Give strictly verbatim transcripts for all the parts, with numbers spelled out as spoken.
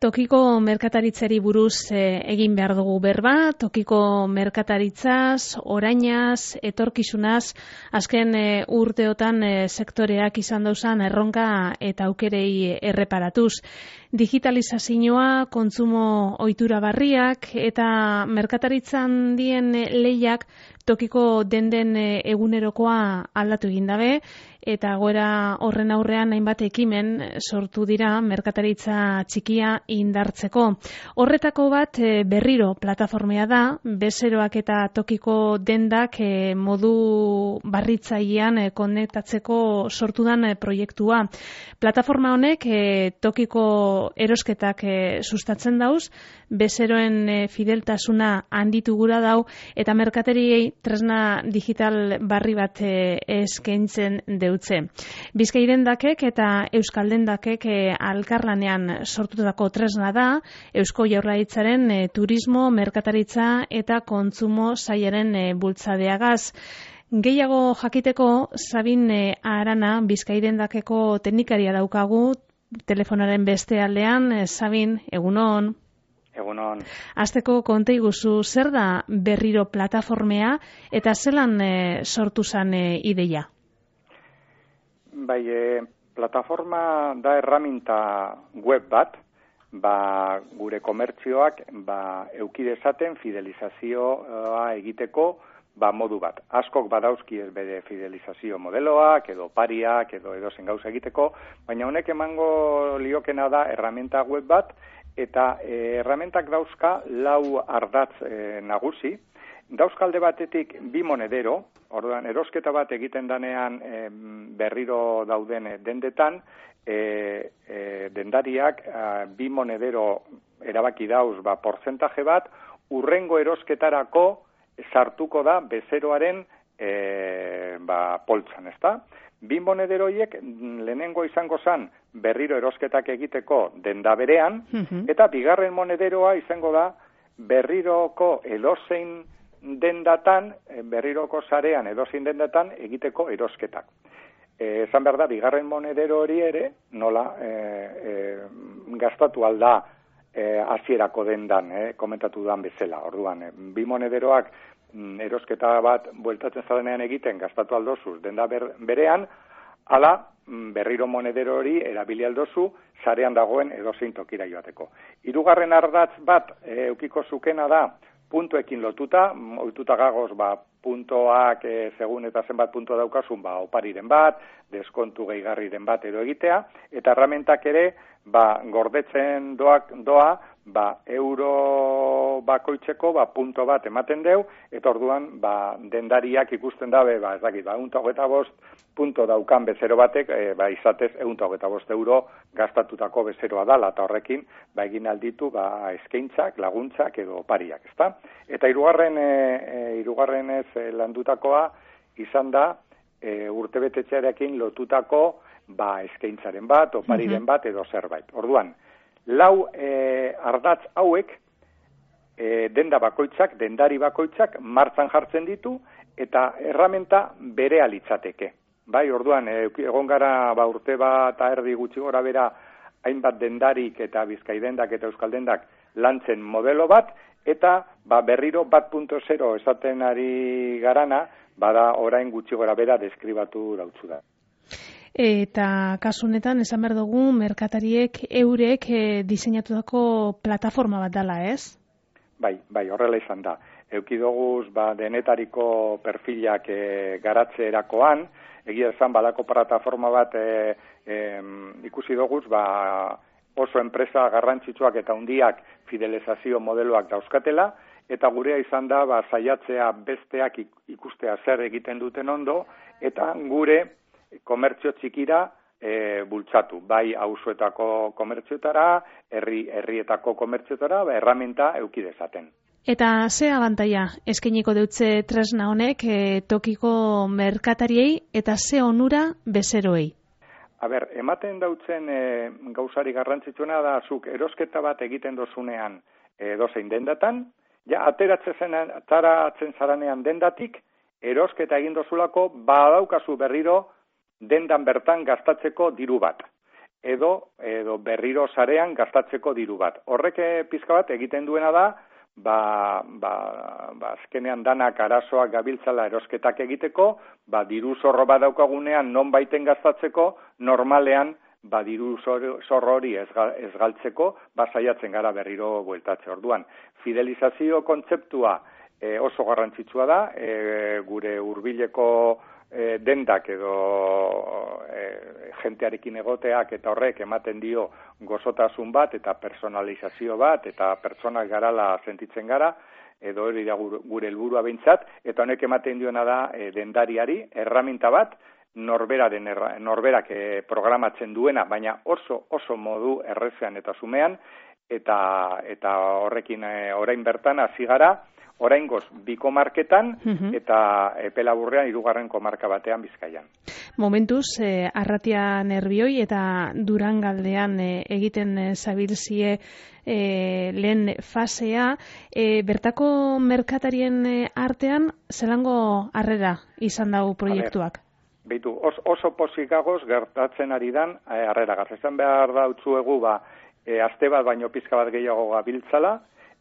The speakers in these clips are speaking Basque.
Tokiko merkataritzari buruz e, egin behar dugu berba, tokiko merkataritzaz, orainaz, etorkizunaz, azken e, urteotan e, sektoreak izan dauzan erronka eta aukerei erreparatuz. Digitalizazioa, kontsumo ohitura barriak eta merkataritzan dien lehiak tokiko denden egunerokoa aldatu egin dabe, eta goera horren aurrean hainbat ekimen sortu dira merkataritza txikia indartzeko. Horretako bat berriro plataformea da, bezeroak eta tokiko dendak modu barritzailean konektatzeko sortudan proiektua. Plataforma honek tokiko erosketak sustatzen dauz, bezeroen fideltasuna handitu gura dau, eta merkateriei tresna digital barri bat eskaintzen deutze. Bizkai dendakek eta Euskal dendakek alkarlanean sortutako tresna da, Eusko Jaurlaritzaren turismo, merkataritza eta kontsumo sailaren bultzadeagaz. Gehiago jakiteko Sabin Arana, Bizkai dendakeko teknikaria daukagu, telefonaren beste aldean. Sabin, egunon. Egunon. Azteko konta iguzu, zer da berriro plataformea eta zelan e, sortu zan e, ideia? Bai, e, plataforma da erraminta web bat, ba, gure komertzioak ba, euki dezaten fidelizazioa egiteko ba, modu bat. Askok badauzki ez bere fidelizazio modeloak, edo pariak, edo edozen gauza egiteko, baina honek emango liokena da erraminta web bat, eta e, erramentak dauzka lau ardatz e, nagusi. Dauzkalde batetik bi monedero, orduan erosketa bat egiten danean e, berriro dauden dendetan, e, e, dendariak a, bi monedero erabaki dauz ba, portzentaje bat, urrengo erosketarako sartuko da bezeroaren e, ba, poltsan, ezta? Bi monederoiek lehenengo izango zan berriro erosketak egiteko denda berean, uh-huh. eta bigarren monederoa izango da berriroko edozein dendatan, berriroko sarean edozein dendatan egiteko erosketak. E, esan behar da, bigarren monedero hori ere, nola, e, e, gastatu alda e, hasierako dendan, e, komentatu dudan bezala. Orduan, e, bi monederoak erosketa bat bueltatzen zarenean egiten gastatu aldozuz denda ber, berean, ala berriro monedero hori erabili aldozu sarean dagoen edozein tokira joateko. Hirugarren ardatz bat e, eukiko zukena da puntuekin lotuta, ohituta gagoz ba, puntoak e, segun eta zenbat punto daukasun ba, opariren bat, deskontu gehigarriren bat edo egitea, eta erramentak ere ba, gordetzen doak, doa ba, euro bakoitzeko ba, punto bat ematen deu, eta orduan ba, dendariak ikusten dabe, ba, ez dakit, ba, egun eta bost punto daukan bezero batek, e, ba, izatez egun eta bost euro gastatutako bezeroa dala, eta horrekin ba, egin alditu ba, eskaintzak, laguntzak edo opariak, ezta? Eta hirugarren e, e, hirugarrenez e, landutakoa izan da e, urtebetetxearekin lotutako ba, eskaintzaren bat, opariren bat edo zerbait. Orduan, lau e, ardatz hauek e, denda bakoitzak, dendari bakoitzak martzan jartzen ditu eta erramenta berea litzateke. Bai, orduan, e, egon gara ba, urte bat erdi gutxi gora bera hainbat dendarik eta Bizkai dendak eta Euskal dendak lantzen modelo bat, eta ba, berriro bat punto zero esaten ari garana, bada orain gutxi gora bera deskribatu dautzu da. Eta kasu honetan esan behar dugu merkatariek eurek e, diseinatutako plataforma bat dela, ez? Bai, bai, horrela izan da. Euki doguz ba, denetariko perfilak e, garatzeerakoan, egia esan balako plataforma bat e, e, ikusi doguz ba, oso enpresa garrantzitsuak eta hundiak fidelizazio modeloak dauzkatela, eta gurea izan da ba, saiatzea besteak ikustea zer egiten duten ondo, eta gure komertzio txikira e, bultzatu, bai auzoetako komertziotara, herri herrietako komertziotara, ba, erramenta euki dezaten. Eta ze abantaila eskainiko deutze tresna honek e, tokiko merkatariei eta ze onura bezeroei? A ber, ematen dautzen e, gauzari garrantzitsuena da zuk erosketa bat egiten dozunean edozein dendatan, ja ateratzen ataratzen zaranean dendatik erosketa egin dozulako badaukazu berriro dendan bertan gastatzeko diru bat. edo, edo berriro sarean gastatzeko diru bat. Horrek pizka bat egiten duena da, ba, ba, ba azkenean danak arazoak gabiltzala erosketak egiteko, ba diru zorro bat daukagunean non baiten gastatzeko, normalean ba diru zorro hori ez, ez galtzeko, ba saiatzen gara berriro bueltatze. Orduan, fidelizazio kontzeptua e, oso garrantzitsua da, e, gure hurbileko e, dendak edo e, jentearekin egoteak eta horrek ematen dio gozotasun bat eta personalizazio bat eta pertsonak garala sentitzen gara, edo hori da gure helburua behintzat, eta honek ematen diona da e, dendariari erraminta bat, norberaren erra, norberak e, programatzen duena, baina oso oso modu errezean eta zumean, eta eta horrekin e, orain bertan hasi gara, oraingoz bi komarketan uh-huh. eta epelaburrean hirugarren komarka batean Bizkaian. Momentuz, eh, Arratia Nerbioi eta Durangaldean eh, egiten eh, zabilzie eh, lehen fasea, eh, bertako merkatarien eh, artean zelango harrera izan dago proiektuak? Beitu, oso, oso posikagoz gertatzen ari dan eh, harrera. Garzetan behar da utzuegu, ba, eh, aste bat baino pizka bat gehiago gabiltzala,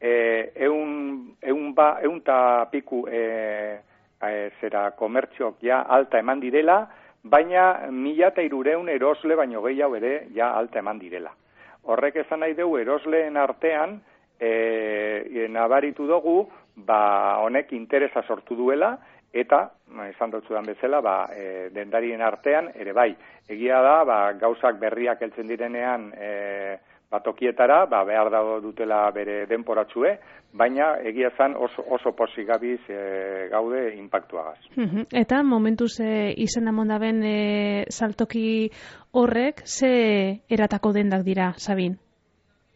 eh, eun, eun, ba, eun ta piku eh, eh, zera komertziok ja alta eman direla, baina mila eta irureun erosle baino gehiago ere ja alta eman direla. Horrek esan nahi dugu erosleen artean eh, nabaritu dugu, ba, honek interesa sortu duela, eta, esan dut zudan bezala, ba, e, dendarien artean, ere bai, egia da, ba, gauzak berriak heltzen direnean e, batokietara, ba, behar dago dutela bere denporatzue, baina egia zan oso, oso posik gabiz e, gaude inpaktuagaz. Eta momentuz e, izena mondaben e, saltoki horrek, ze eratako dendak dira, Sabin?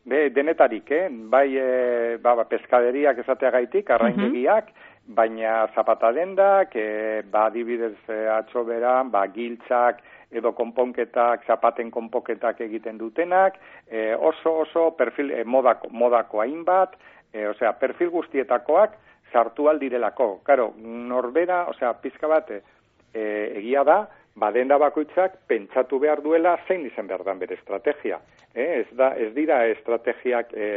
Be, denetarik, eh? bai e, ba, ba, peskaderiak esateagaitik, arraindegiak, uh-huh. baina zapata dendak, e, ba, adibidez e, atzo beran, ba, giltzak edo konponketak, zapaten konponketak egiten dutenak, e, oso oso perfil e, modako, modako hainbat, e, osea, perfil guztietakoak sartu aldirelako. Karo, norbera, osea, pizka bat e, egia da, ba, denda bakoitzak pentsatu behar duela zein izan behar dan bere estrategia. Eh? Ez, da, ez dira estrategiak e,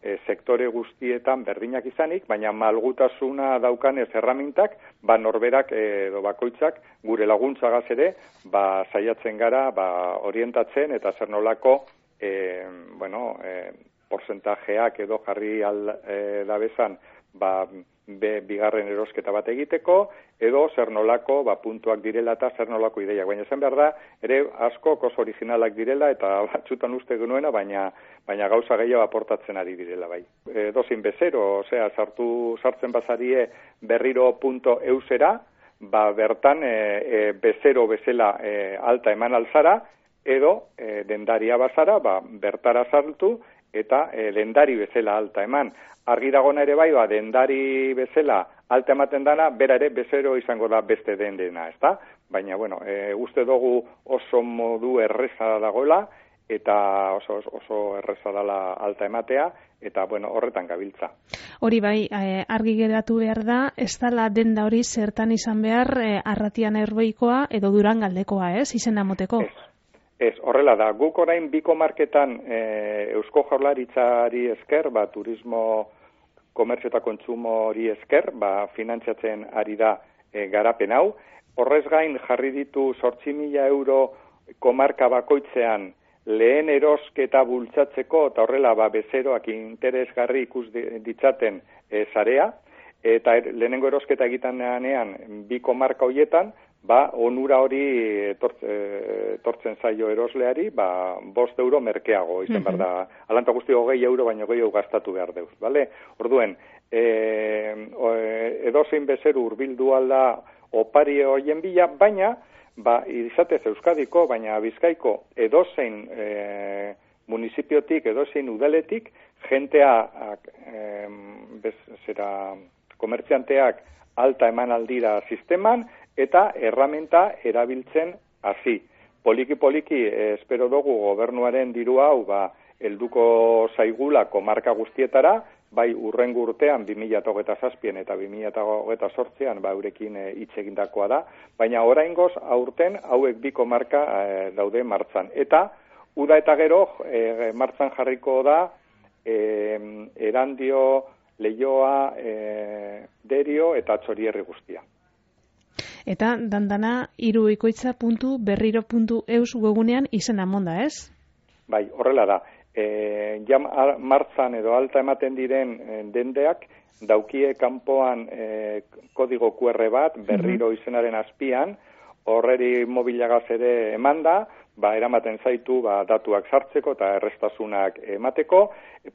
e, sektore guztietan berdinak izanik, baina malgutasuna daukanez erramintak, ba, norberak edo bakoitzak gure laguntzagaz ere, ba, saiatzen gara ba, orientatzen eta zer nolako e, bueno, e, porcentajeak edo jarri al, e, dabezan ba, be, bigarren erosketa bat egiteko, edo zer nolako ba, puntuak direla eta zer nolako ideiak. Baina esan behar da, ere asko oso originalak direla eta batzutan uste genuena, baina, baina gauza gehiago aportatzen ari direla bai. E, dozin bezero, osea, sartu sartzen bazarie berriro punto eusera, ba, bertan e, e, bezero bezala e, alta eman alzara, edo e, dendaria bazara, ba, bertara sartu, eta e, dendari bezala alta eman. Argi dagona ere bai, ba, dendari bezala alta ematen dana, bera ere bezero izango da beste den dena, ezta? Baina, bueno, e, uste dugu oso modu erreza dagoela, eta oso, oso erreza dela alta ematea, eta, bueno, horretan gabiltza. Hori bai, e, argi geratu behar da, ez dala denda hori zertan izan behar e, Arratia Nerbeikoa edo Durangaldekoa, ez, izena moteko? Ez. Ez, horrela da, guk orain biko marketan e, Eusko Jaurlaritzari esker, ba, turismo, komertzio eta kontsumo hori esker, ba, finantziatzen ari da e, garapen hau. Horrez gain jarri ditu zortzi mila euro komarka bakoitzean lehen erosketa bultzatzeko, eta horrela ba, bezeroak interesgarri ikus ditzaten e, zarea, eta er, lehenengo erosketa egiten denean bi komarka horietan, ba, onura hori etortzen zaio erosleari, ba, bost euro merkeago, izan behar da, alanta guzti hogei euro, baino gehiago gastatu behar deuz, bale? Orduen, e, edozein bezeru urbildu alda opari horien bila, baina, ba, izatez Euskadiko, baina Bizkaiko edozein e, municipiotik, edozein udaletik, jentea, e, bez, zera, komertzianteak alta eman aldira sisteman, eta erramenta erabiltzen hasi. Poliki-poliki, eh, espero dugu gobernuaren diru hau, ba, helduko zaigula komarka guztietara, bai urrengo urtean bi mila hogeita zazpian eta bi mila hogeita zortzian ba, eurekin hitz e, egindakoa da, baina oraingoz aurten hauek bi komarka e, daude martzan. Eta uda eta gero, e, martzan jarriko da, e, Erandio, Leioa, e, Derio eta Txorierri guztia. Eta dandana iruikoitza puntu berriro puntu eus webunean izena monda, ez? Bai, horrela da. E, ja martzan edo alta ematen diren e, dendeak, daukie kanpoan e, kodigo Q R bat, berriro izenaren azpian, horreri mobilagaz ere emanda, ba, eramaten zaitu ba, datuak sartzeko eta errestasunak emateko.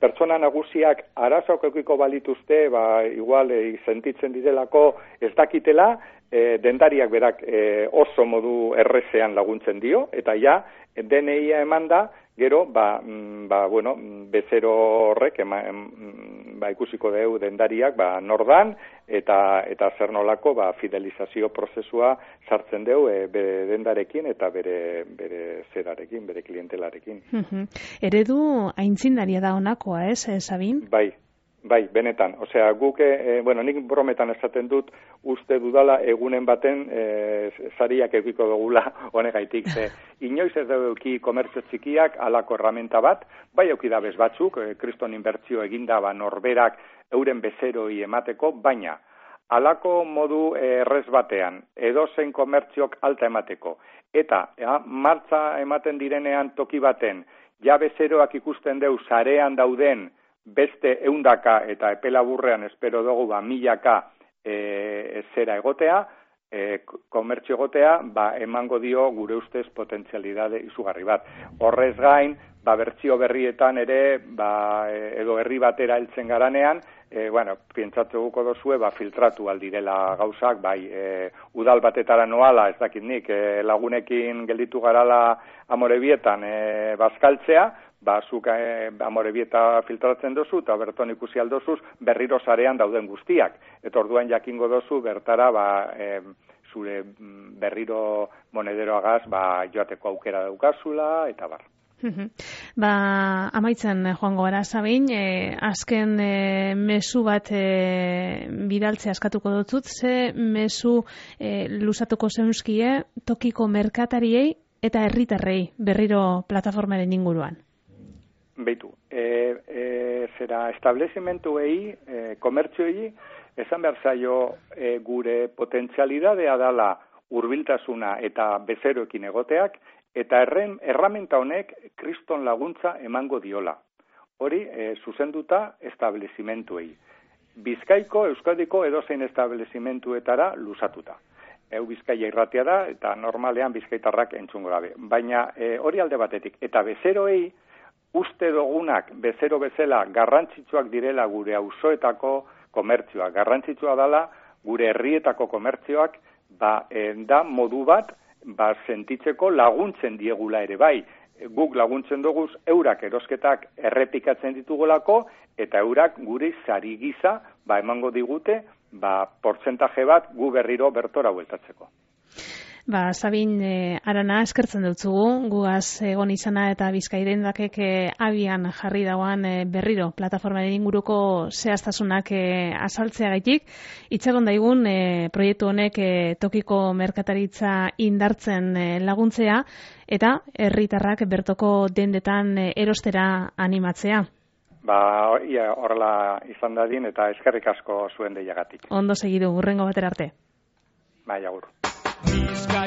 Pertsona nagusiak arazoak eukiko balituzte, ba, igual e, sentitzen direlako ez dakitela, e, dendariak berak e, oso modu errezean laguntzen dio, eta ja, D N I-a emanda, gero, ba, ba, bueno, bezero horrek, ema, em, ba, ikusiko deu dendariak, ba, nordan, eta eta zer nolako, ba, fidelizazio prozesua sartzen deu e, bere dendarekin eta bere, bere zerarekin, bere klientelarekin. Uh-huh. Eredu aintzindaria da honakoa, ez, Sabin? Bai. Bai, benetan. Osea, guk, e, bueno, nik brometan esaten dut, uste dudala egunen baten e, sariak eukiko dugula honegaitik. Ze, inoiz ez dugu euki komertzio txikiak alako erramenta bat, bai euki da bez batzuk, e, kriston inbertzio eginda ba norberak euren bezeroi emateko, baina alako modu errez batean, edozein komertziok alta emateko, eta ja, martza ematen direnean toki baten, ja bezeroak ikusten deu sarean dauden, beste eundaka eta epelaburrean espero dugu ba milaka e, zera egotea, e, komertzio egotea, ba emango dio gure ustez potentzialidade izugarri bat. Horrez gain, ba bertsio berrietan ere, ba edo herri batera heltzen garanean, e, bueno, pentsatuko dozue, ba filtratu aldirela gauzak, bai e, udal batetara noala, ez dakit nik, e, lagunekin gelditu garala Amorebietan e, bazkaltzea, ba, zuk eh, Amorebieta filtratzen dozu, eta berton ikusi aldozuz, berriro sarean dauden guztiak. Eta orduan jakingo dozu, bertara, ba, eh, zure berriro monederoagaz, ba, joateko aukera daukazula, eta bar. Ba, amaitzen joango gara, Sabin, e, azken e, mezu bat e, bidaltzea askatuko dutzut, ze mezu e, lusatuko zeunzkie tokiko merkatariei eta herritarrei berriro plataformaren inguruan. Beitu, e, e, zera establezimentuei, e, komertzioei, esan behar zaio e, gure potentzialidadea dala hurbiltasuna eta bezeroekin egoteak, eta erren, erramenta honek kriston laguntza emango diola. Hori, e, zuzenduta establezimentuei. Bizkaiko, Euskadiko edozein establezimentuetara lusatuta. Eu Bizkaia irratia da, eta normalean bizkaitarrak entzungo gabe. Baina e, hori alde batetik, eta bezeroei, uste dogunak bezero bezala garrantzitsuak direla gure auzoetako komertzioak. Garrantzitsua dela gure herrietako komertzioak ba, da modu bat ba, sentitzeko laguntzen diegula ere bai. Guk laguntzen duguz eurak erosketak errepikatzen ditugolako eta eurak gure sari gisa ba, emango digute ba, portzentaje bat gu berriro bertora bueltatzeko. Ba, Sabin, e, arana eskertzen dutzugu, gugaz egon izana eta Bizkairen dakek e, abian jarri dauan e, berriro plataformaren inguruko zehaztasunak e, azaltzeagaitik. Itxagon daigun e, proiektu honek e, tokiko merkataritza indartzen e, laguntzea eta herritarrak bertoko dendetan e, erostera animatzea. Ba, ia, horrela izan dadin eta eskerrik asko zuen deiagatik. Ondo segidu, hurrengo batera arte. Bai, agur. Bizkaia